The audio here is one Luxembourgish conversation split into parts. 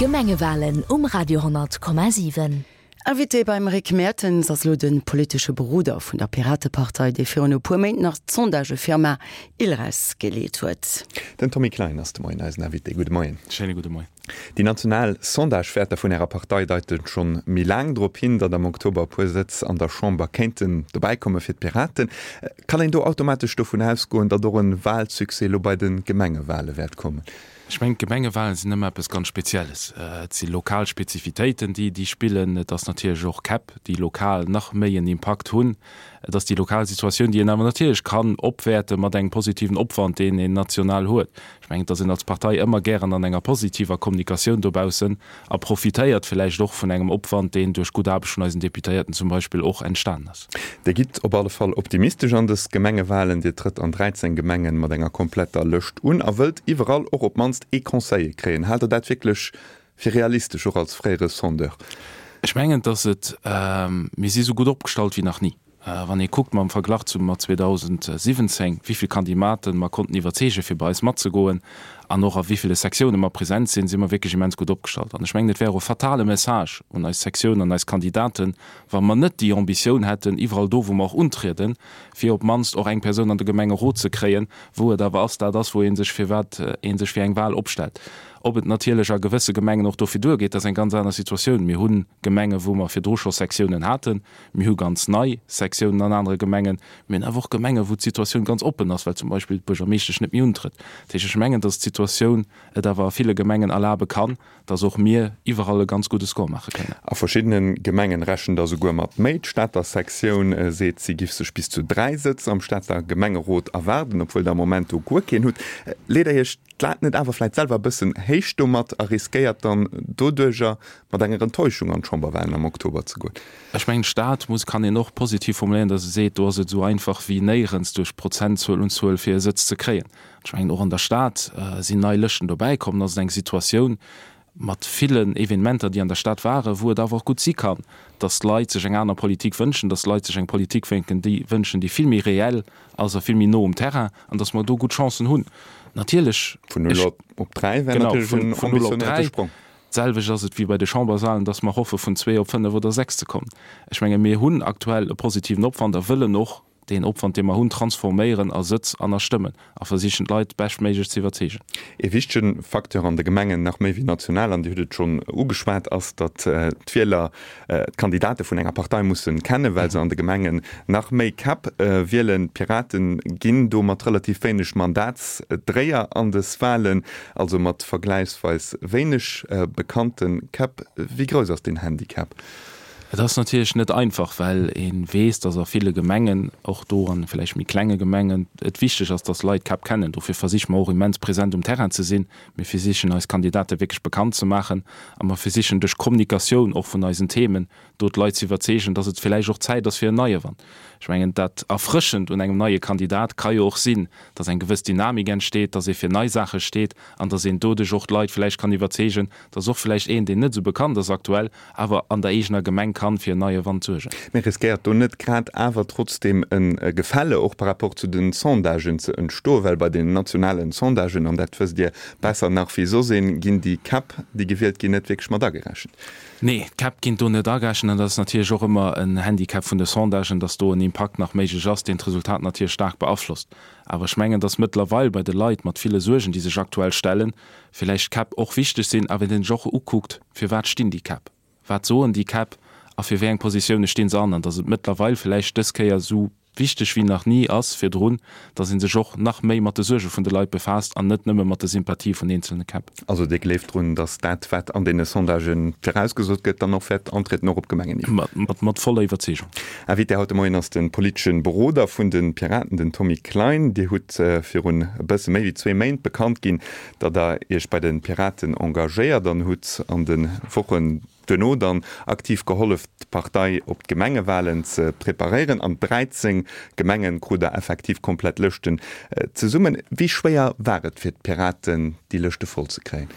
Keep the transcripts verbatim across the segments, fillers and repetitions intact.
D'Gemengewalen um Radio honnert Komma siwen. Invité beim Rick Mertens ass elo de politesche Beroder vun der Piratepartei, dee virun e puer Méint nach d'Sondagefirma ILRES geleet huet. Den Tommy Klein ass de Moien eisen Invité. Gudde Moien. Schéine gudde Moien. Déi national Sondagewäerter vun Ärer Partei deiten schonn méi laang drop hin, datt am Oktober e puer Sëtz an der Chamber kéinten dobäi komme fir d'Piraten. Kann een do automatesch dovun ausgoen, datt och e Walsuccès elo bei de Gemengewale wäert kommen? Ech mengen, d'Gemengewalen sinn ëmmer eppes ganz Spezielles. Et si lokal Spezifitéiten, déi, déi spillen. Et ass natierlech och Käpp, déi lokal nach méi en Impakt hunn. Et ass déi lokal Situatioun, déi een awer natierlech kann opwäerte mat engem positiven Opwand, deen een national huet. Ech mengen, et ass een als Partei ëmmer gären an enger positiver Kommunikatioun dobaussen a profitéiert villäicht och vun engem Opwand, deen duerch gutt Aarbecht vun eisen Deputéierten zum Beispill och entstanen ass. Dir gitt op alle Fall optimistesch an dës Gemengewalen. Dir trëtt an dräizéng Gemengen mat enger kompletter Lëscht un a wëllt iwwerall och op d'mannst ee Conseiller kréien. Haalt Der dat wierklech fir realistesch, och als fréiere Sondeur? Ech mengen, dass et, mir si sou gutt opgestallt wéi nach ni. Wann ee kuckt mam Verglach zu mat zweedausendsiwwenzéng, wéi vill Kandimaten mer konnten iwwerzeegen, fir bei eis matzegoen an och a wéi ville Sektiounen mer present sinn, si mer wierklech immens gutt opgestallt. An ech mengen, et wär och e fatale Message un eis Sektioun an eis Kandidaten, wa mer net déi Ambitioun hätten, iwwerall do, wou mer och untrieden, fir op d'mannst och eng Persoun an de Gemengerot ze kréien, wou et awer ass, dat ass, wou ee sech firwat ee sech fir eng Wahl opstellt. Ob et natierlech a gewësse Gemengen och dofir duergeet, dat ass eng ganz aner Situatioun. Mir hu Gemengen, wou mer virdru scho Sektiounen haten. Mir hu ganz nei Sektiounen an anere Gemengen. Mir hunn awer och Gemengen, wou d'Situatioun ganz oppen ass, well zum Beispill d'Buergermeeschtesch net méi untrëtt. Dat heescht, ech mengen, dass d'Situatioun et awer a ville Gemengen erlabe kann, dass och mir iwwerall e ganz gudde Score maache kënnen. A verschiddene Gemengen rechent der souguer mat méi. D'Stater Sektioun seet, si giff sech bis zu dräi Sëtz am Stater Gemengerot erwaarden, obwuel der am Moment do guer keen hutt. Leet Der Iech d'Lat net awer vläit selwer e bëssen héich domat a riskéiert dann doduerjer mat enger Enttäuschung an d'Chamberwahlen am Oktober ze goen? Ech mengen, d'Stad muss, kann een och positiv formuléieren, datt e seet, do ass et esou einfach wéi néierens duerch Prozentzuel Unzuel fir e Sëtz ze kréien. Ech mengen, och an der Stad sinn nei Lëschten dobäi komm. Dat ass eng Situatioun mat villen Evenementer, déi an der Stad waren, wou et awer och gutt si kann, datt d'Leit sech eng aner Politik wënschen, datt d'Leit sech eng Politik wénken, déi wënschen, déi vill méi reell ass a vill méi no um Terrain, an datt mer do gutt Chancen hunn. Natierlech. Vun null op dräi wär natierlech en ambitionéierte Sprong. D'selwecht ass et wéi bei de Chamberswahlen, datt mer hoffe vun zwee op fënnef oder sechs ze kommen. Ech menge mir hunn aktuell e positiven Opwand a wëllen och deen Opwand, dee mer hunn, transforméieren a Sëtz an a Stëmmen a versichen d'Leit beschtméiglech ze iwwerzeegen. Ee wichtege Facteur an de Gemengen, nach méi wéi national, an Dir hutt et schonn ugeschwat, ass, datt d'Wieler d'Kandidate vun enger Partei musse kennen, well se an de Gemengen nach méi Käpp wielen. D'Pirate ginn do mat relativ wéineg Mandatsdréier an des Wahlen, also mat vergläichsweis wéineg bekannte Käpp. Wéi grouss ass deen Handicap? Et ass natierlech net einfach, well ee weess, datt a ville Gemengen, och do an vläicht méi klenge Gemengen, et wichteg ass, datt Leit d'Käpp kennen. Dofir versiche mer och immens present um Terrain ze sinn. Mir versichen eis Kandidate wierklech bekannt ze maachen a mer versichen duerch Kommunikatioun och vun eisen Themen do d'Leit ze iwwerzeegen, datt et vläicht och Zäit ass fir en neie Wand. Ech mengen, dat Erfrëschend un engem neie Kandidat ka jo och sinn, datt eng gewëss Dynamik entsteet, datt ee fir nei Saache steet an datt een doduerch och d'Leit vläicht kann iwwerzeegen, datt och vläicht een, deen net esou bekannt ass aktuell, awer an der eegener Gemeng kann fir en neie Wand suergen. Mee riskéiert do net grad awer trotzdeem e Gefälle och par rapport zu den Sondagen ze entstoen? Well bei den nationalen Sondagen, an dat wësst Dir besser nach wéi soss een, ginn déi Käpp, déi gewielt ginn, net wierklech mat agerechent. Nee, d'Käpp ginn do net agerechent an dat ass natierlech och ëmmer en Handicap vun de Sondagen, dass do en Impakt nach méiglech ass, deen d'Resultat natierlech staark beaflosst. Awer ech mengen, dass mëttlerweil bei de Leit mat ville Suergen, déi sech aktuell stellen, villäicht d'Käpp och wichteg sinn, awer een sech och ukuckt, Firwat stinn déi Käpp? Wat soen déi Käpp a fir wéi eng Positioune stinn se an? An dass et mëttlerweil villäicht dës Kéier esou wichteg wéi nach ni ass virdrun, dass ee sech och nach méi mat de Suerge vun de Leit befaasst an net nëmme mat de Sympathie vun eenzelne Käpp. Also Dir gleeft drun, dass dat, wat an deene Sondagen virausgesot gëtt, dann och wäert antrieden, och op Gemengenniveau? Mat voller Iwwerzeegung. Invité haut de Moien ass de politesche Beroder vun de Piraten, den Tommy Klein. Dir hutt virun e bësse méi wéi zwee Méint bekannt ginn, datt Der Iech bei de Piraten engagéiert an hutt an de Wochen duerno dann aktiv gehollef, d'Partei op d'Gemengewalen ze preparéieren. An dräizéng Gemengen krut der effektiv komplett Lëschten zesummen. Wéi schwéier war et fir d'Piraten, déi Lëschte voll ze kréien?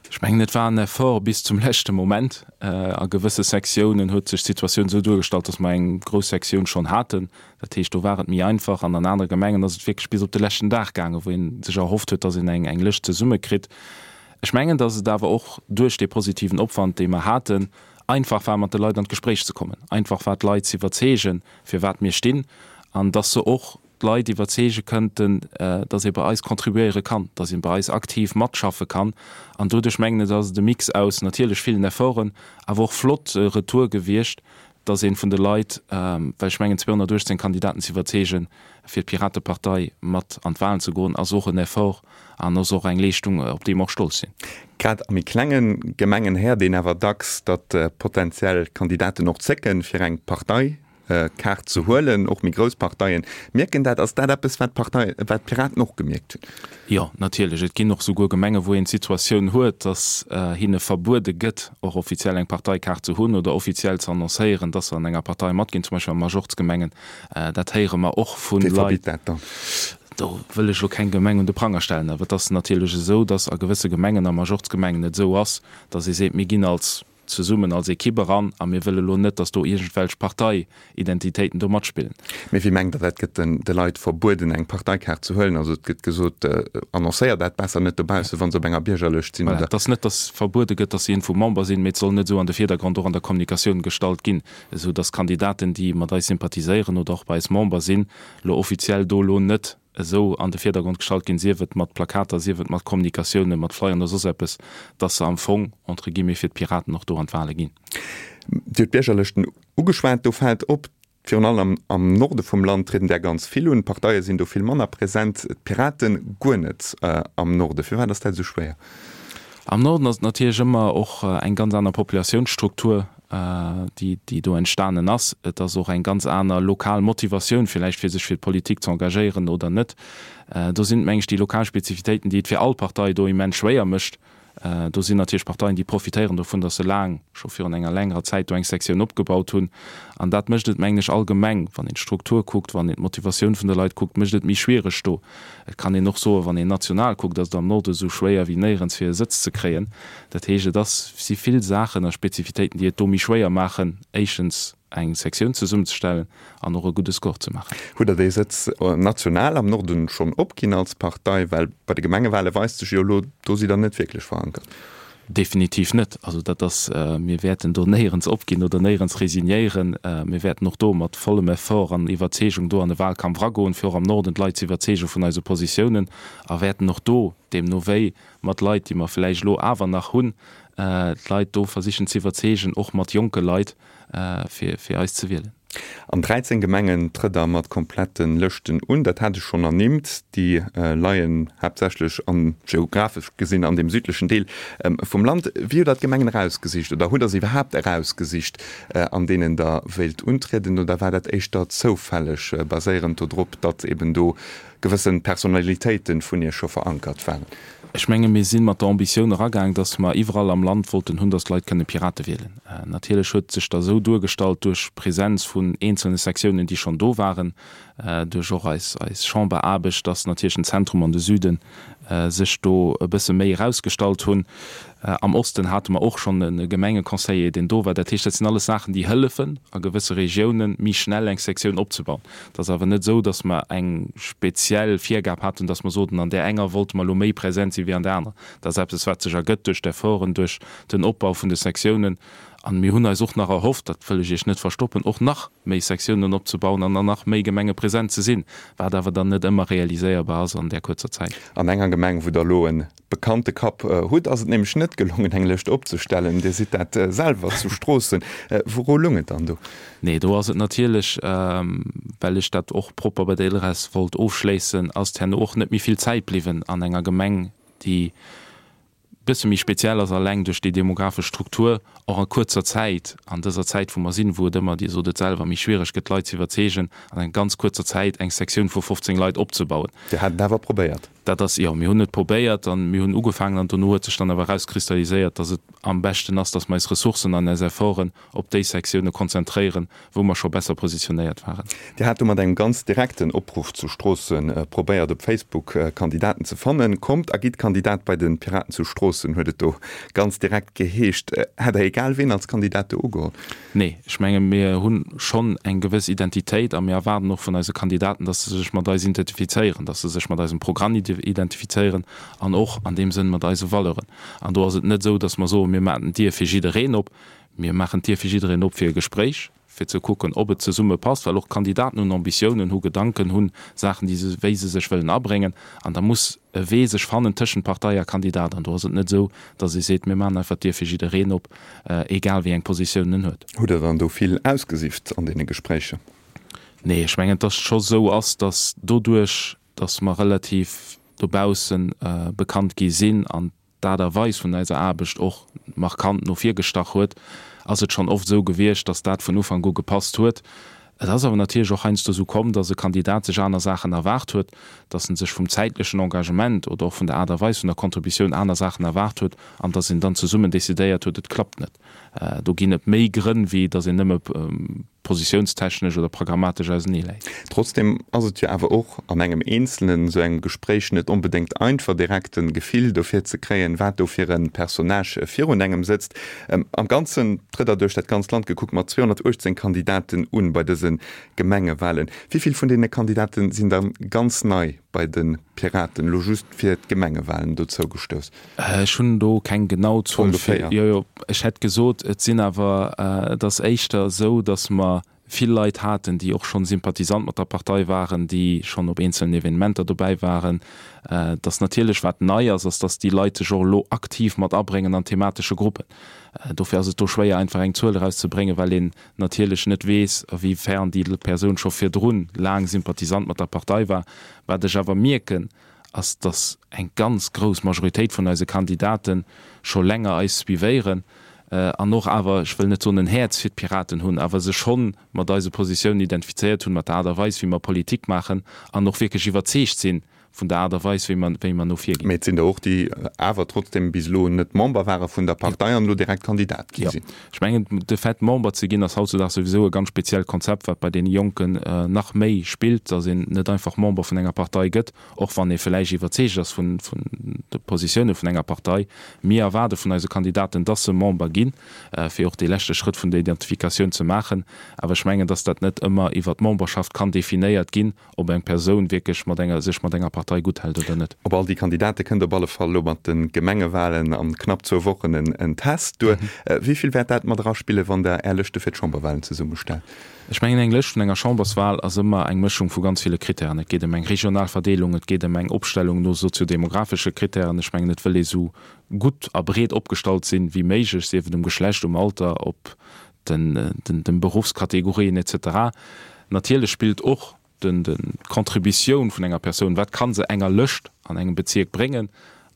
Ech mengen, et war en Effort bis zum leschte Moment. A gewësse Sektiounen huet sech d'Situatioun esou duergestallt, datt mer eng grouss Sektioun schonn haten. Dat heescht, do war et méi einfach. An an anere Gemengen ass et wierklech bis op de leschten Dag gaangen, wou ee sech erhofft huet, datt een eng Lëscht zesummekritt. Ech mengen, dass et awer och duerch dee positiven Opwand, dee mer haten, einfach war, mat de Leit an d'Gespréich ze kommen, einfach war, d'Leit ze iwwerzeegen, fir wat mir stinn, an dass se och d'Leit iwwerzeege kënnten, dass ee bei eis contribuéiere kann, dass ee bei eis aktiv matschaffe kann. An doduerch, mengen ech, ass et e Mix aus natierlech villen Efforten, awer och flott Retoure gewiescht, dass ee vun de Leit, well ech mengen zweehonnertuechtzéng Kandidaten ze iwwerzeegen, fir d'Piratepartei mat an d'Wahlen ze goen, ass och en Effort an ass och eng Leeschtung, op déi mer och stolz sinn. Grad a méi klenge Gemengen héiert een awer dacks, datt potentiell Kandidaten och zécken, fir eng Partei Kaart ze huelen, och méi grouss Parteien mierken dat. Ass dat eppes, wat d'Partei, wat d'Piraten och gemierkt hunn? Jo, natierlech. Et ginn och souguer Gemengen, wou een d'Situatioun huet, datt hinne verbuede gëtt, och offiziell eng Parteikaart ze hunn oder offiziell ze annoncéieren, datt se an enger Partei matginn, zum Beispill a Majorzgemengen. Dat héiere mer och vu Wie Leit. verbitt dat dann? Do wëll ech elo keng Gemeng un de Pranger stellen, awer et ass natierlech esou, datt a gewësse Gemengen, a Majorzgemengen et esou ass, datt ee seet, mir ginn als zesummen als Equipe eran a mir wëlle lo net, datt do iergendwelch Parteiidentitéiten do matspillen. Mee wéi mengt Der dat? Gëtt den de Leit verbueden, eng Parteikaart ze huelen? Also et gëtt gesot, annoncéiert dat besser net dobaussen, wa se op enger Biergerlëscht sinn, Voilà, oder? et ass net, datt verbuede gëtt, datt se iergendwou Member sinn, mee et soll net esou an de Virdergrond och an der Kommunikatioun gestallt ginn, esou datt Kandidaten, déi mat eis sympathiséieren oder och bei eis Member sinn, lo offiziell do lo net esou an de Virdergrond gestallt ginn, sief et mat Plakater, sief et mat Kommunikatiounen, mat Flyern oder soss eppes, dass se am Fong, entre guillemets, fir d'Piraten och do an d'Wahle ginn. Dir hutt d'Biergerlëschten ugeschwat. Do fält op, virun allem am Norde vum Land trieden där ganz vill un. D'Parteie sinn do vill manner present, d'Piraten guer net am Norde. Firwat ass dat esou schwéier? Am Norden ass et natierlech ëmmer och eng ganz aner Populatiounsstruktur, déi, déi do entstanen ass. Et ass och eng ganz aner lokal Motivatioun villäicht, fir sech fir d'Politik ze engagéieren oder net. Do sinn et, meng ech, déi lokal Spezifitéiten, déi et fir all Partei do immens schwéier mécht. Do sinn natierlech Parteien, déi profitéieren dovun, datt se laang, scho virun enger längerer Zäit do eng Sektioun opgebaut hunn. An dat mécht et, mengen ech, allgemeng, wann een d'Struktur kuckt, wann een d'Motivatioun vun de Leit kuckt, mécht et méi schwiereg do. Et kann een och soen, wann een national kuckt, ass et am Norde esou schwéier wéi néierens fir e Sëtz ze kréien. Dat heescht, et ass, si vill Saachen a Spezifitéiten, déi et do méi schwéier maachen, éischtens eng Sektioun zesummenzestellen an och e gudde Score ze maachen. Hutt Der dee Sëtz national am Norden schonn opginn als Partei? Well bei de Gemengewale weist sech jo elo, do sidd Der net wierklech verankert. Definitiv net. Also dat ass, mir wäerten do néierens opginn oder néierens resignéieren. Mir wäerten och do mat vollem Effort an Iwwerzeegung do an de Wahlkampf eragoen, fir och am Norden d'Leit ze iwwerzeege vun eise Positiounen a wäerten och do, deemno wéi mat Leit, déi mer vläicht elo awer nach hunn, d'Leit do versichen ze iwwerzeegen, och mat jonke Leit, fir fir eis ze wielen. An dräizéng Gemengen trëtt Der mat komplette Lëschten un. Dat hat ech schonn ernimmt. Déi leien haaptsächlech an, geographesch gesinn, an deem südlechen Deel vum Land. Wéi hutt Der d'Gemengen erausgesicht oder hutt Der se iwwerhaapt erausgesicht, an deenen Der wéilt untrieden? Oder war dat éischter zoufälleg, baséierend dodrop, datt eben do gewësse Personalitéite vun Iech scho verankert waren? Ech menge mir si mat der Ambitioun eragaang, datt mer iwwerall am Land wollten hunn, datt d'Leit kënne Pirate wielen. Natierlech huet sech da sou duergestallt duerch d'Presenz vun eenzelne Sektiounen, déi schonn do waren, duerch och eis eis Chamberaarbecht, datt natierlech den Zentrum an de Süde sech do e bësse méi erausgestallt hunn. Am Osten hate mer och schonn e Gemengeconseiller, deen do war. Dat heescht, dat sinn alles Saachen, déi hëllefen, a gewësse Regiounen méi schnell eng Sektioun opzebauen. Et ass awer net esou, datt mer eng speziell Virgab haten, datt mer soten, an där enger wollte mer elo méi present si wéi an där anerer. Dat ass eppes, wat sech ergëtt duerch d'Efforten, duerch den Opbau vun de Sektiounen. An mir hunn eis och nach erhofft, dat wëll ech Iech net verstoppen, och nach méi Sektiounen opzebauen an an nach méi Gemenge present ze sinn, wat awer dann net ëmmer realiséierbar ass an där kuerzer Zäit. An enger Gemeng, wou Der elo e bekannte Kapp hutt, ass et nämlech net gelongen, eng Lëscht opzestellen. Dir sidd dat selwer zu Stroossen. Wouru loung et dann do? Nee, do ass et natierlech, well ech dat och propper bei der ILReS wollt ofschléissen, ass herno och net méi vill Zäit bliwwen an enger Gemeng, déi, bësse méi speziell ass, alleng duerch déi demographesch Struktur, och a kuerzer Zäit, an dëser Zäit wou mer sinn, wou et ëmmer, Dir sot et selwer, méi schwiereg gëtt d'Leit ze iwwerzeegen, an enger ganz kuerzer Zäit eng Sektioun vu fofzéng Leit opzebauen. Dir hat et awer probéiert. Dat ass, jo, mir hunn et probéiert an mir hunn ugefaangen an dono huet sech dann awer erauskristalliséiert, dass et am beschten ass, dass mer eis Ressourcen an eis Efforten op déi Sektioune konzentréieren, wou mer scho besser positionéiert waren. Dir hat do mat engem ganz direkten Opruff zu Stroossen probéiert op Facebook Kandidaten ze fannen. Kommt a gitt Kandidat bei de Piraten zu Stroossen, huet et do ganz direkt geheescht. Hätt Der egal ween als Kandidat do ugeholl? Nee, ech menge mir hu schonn eng gewëss Identitéit a mir erwaarden och vun eise Kandidaten, datt se sech mat eis identifizéieren, datt se sech mat eisem Programm identifizéieren an och an deem Sënn mat eise Valeuren. An do ass et net esou, datt mer soen, mir maachen d'Dier fir jiddereen op. Mir maachen d'Dier fir jiddereen op fir e Gespréich, fir ze kucken, ob et zesumme passt, well och d'Kandidaten hunn Ambitiounen, hu Gedanken, hunn Saachen, déi se, wéi se sech wëllen abréngen. An da muss e Wee sech fannen tëschent Partei a Kandidat. An do ass et net esou, datt ee seet, mir maachen einfach d'Dier fir jiddereen op, egal wéi eng Positioun en huet. Hutt Der dann do vill ausgesift an deene Gespréicher? Nee, ech mengen, datt et scho esou ass, datt doduerch, datt mer relativ dobausse bekannt gi sinn an d'Aart a Weis vun eiser Aarbecht och markant no vir gestach huet, ass et schonn oft esou gewiescht, datt dat vun Ufank u gepasst huet. Et ass awer natierlech och heiansdo esou komm, datt e Kandidat sech aner Saachen erwaart huet, datt en sech vum zäitlechen Engagement oder och vun der Aart a Weis vun der Contributioun aner Saachen erwaart huet an datt een dann zesummen decidéiert huet, et klappt net. Do ginn et méi Grënn, wéi datt een nëmme positiounstechnesch oder programmatesch ausenee läit. Trotzdem ass et jo awer och an engem eenzelnen esou engem Gespréich net onbedéngt einfach, direkt e Gefill dofir ze kréien, wat do fir e Personnage virun engem sëtzt. Am Ganzen trëtt Der duerch dat ganzt Land gekuckt mat zweehonnertuechtzéng Kandidaten un bei dëse Gemengewahlen. Wéi vill vun deene Kandidaten sinn da ganz nei bei de Piraten, elo just fir d'Gemengewahlen dozou gestouss? Ech hunn do keng genau Zuel fir. Ongeféier. Jo, jo, ech hätt gesot, et sinn awer, et ass éischter esou, datt mer vill Leit haten, déi och schonn Sympathisant mat der Partei waren, déi schonn op eenzelen Evenementer dobäi waren. Datt natierlech, wat nei ass, ass, datt déi Leit sech och elo aktiv mat abréngen an thematesche Gruppen. Dofir ass et do schwéier, einfach eng Zuel erauszebréngen, well een natierlech net weess, a wéi fern déi Persoun scho virdrun laang Sympathisant mat der Partei war. Wat ech awer mierken, ass, datt eng ganz grouss Majoritéit vun eise Kandidate scho länger eis suivéieren an och awer, ech wëll net soen en Häerz fir d'Piraten hunn, awer sech schonn mat eise Positiounen identifizéiert hunn, mat der Aart a Weis, wéi mer Politik maachen an och wierklech iwwerzeegt sinn vun der Aart a Weis, wéi mer, wéi mer no vir ginn. Mee et sinn der och, déi awer trotzdem bis elo net Member ware vun der Partei an elo direkt Kandidat gi sinn. Jo. Ech mengen, de Fait, Member ze ginn, ass hautzudags souwisou e ganz speziellt Konzept, wat bei deene Jonken nach méi spillt, dass een net einfach Member vun enger Partei gëtt, och wann ee vläicht iwwerzeegt ass vun de Positioune vun enger Partei. Mir erwaarde vun eise Kandidaten, dass se Member ginn, fir och dee leschte Schrëtt vun der Identifikatioun ze maachen. Awer ech mengen, dass dat net ëmmer iwwert d'Memberschaft kann definéiert ginn, ob eng Persoun wierklech mat enger, sech mat enger Partei gutt hält oder net. Op all déi Kandidate kënnt op alle Fall elo mat de Gemengewalen an knapp zwou Wochen en Test duer. Wéi vill wäert dat mat eraspillen, wann Der Är Lëschte fir d'Chamberwalen zesummestellt? Ech mengen, eng Lëscht vun enger Chamberswal ass ëmmer eng Mëschung vu ganz ville Krittären. Et geet ëm eng regional Verdeelung, et geet ëm eng Opstellung no soziodemografesche Krittären. Ech mengen, et wëll ee sou gutt a breet opgestallt sinn wéi méiglech, sief et um Geschlecht, um Alter, op den, den, den Beruffskategorien et cetera. Natierlech spillt och den, den, d'Contributioun vun enger Persoun, wat ka se enger Lëscht an engem Bezierk bréngen,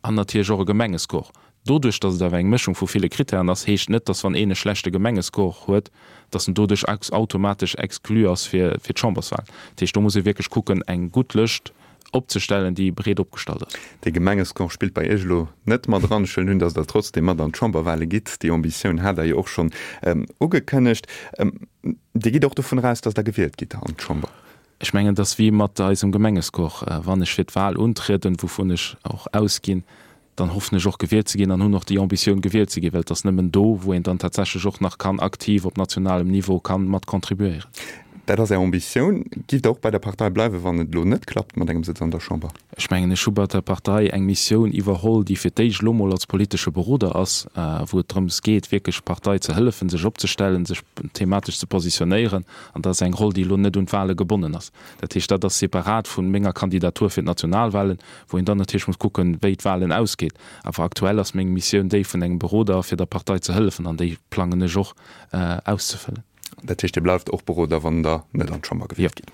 an natierlech och e Gemengescore. Doduerch, datt et awer eng Mëschung vu ville Krittären ass, heescht net, datt wann een e schlechte Gemengescore huet, datt en doduerch automatesch exclu ass fir, fir d'Chamberswahlen. Dat heescht, do muss ee wierklech kucken, eng gutt Lëscht opzestellen, déi breet opgestallt ass. De Gemengescore spillt bei Iech elo net mat eran. Ech huelen un, datt Der trotzdem mat an d'Chamberwahle gitt. Déi Ambitioun hat Der jo och schonn ugekënnegt. Dir gitt och dovun eraus, datt Der gewielt gitt an d'Chamber? Ech mengen, et ass wéi mat eisem Gemengescore. Wann ech fir d'Wahl untrieden, wouvun ech och ausginn, dann hoffen ech och gewielt ze ginn an hunn och déi Ambitioun gewielt ze ginn, well et ass nëmmen do, wou een dann tatsächlech och nach kann aktiv op nationalem Niveau kann mat contribuéieren. Dat ass Är Ambitioun. Giff Der och bei der Partei bleiwen, wann et elo net klappt mat engem Sëtz an der Chamber? Ech mengen, ech hu bei der Partei eng Missioun iwwerholl, déi fir d'éischt elo mol als politesche Beroder ass, wou et drëms geet, wierklech d'Partei ze hëllefen, sech opzestellen, sech thematesch ze positionéieren. An dat ass eng Roll, déi elo net un d'Wahle gebonnen ass. Dat heescht, dat ass separat vu menger Kandidatur fir d'Nationalwahlen, wou een dann natierlech muss kucken, wéi d'Wahlen ausgeet. Awer aktuell ass meng Missioun déi vun engem Beroder, fir der Partei ze hëllefen, an déi plangen ech och auszefëllen. Dat heescht, Dir bleift och Beroder, wann Der net an d'Chamber gewielt gitt.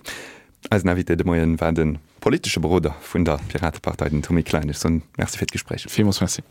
Eisen Invité de Moien war de politesche Beroder vun der Piratepartei, den Tommy Klein. Ech soen Merci fir d'Gespréich. Villmools Merci.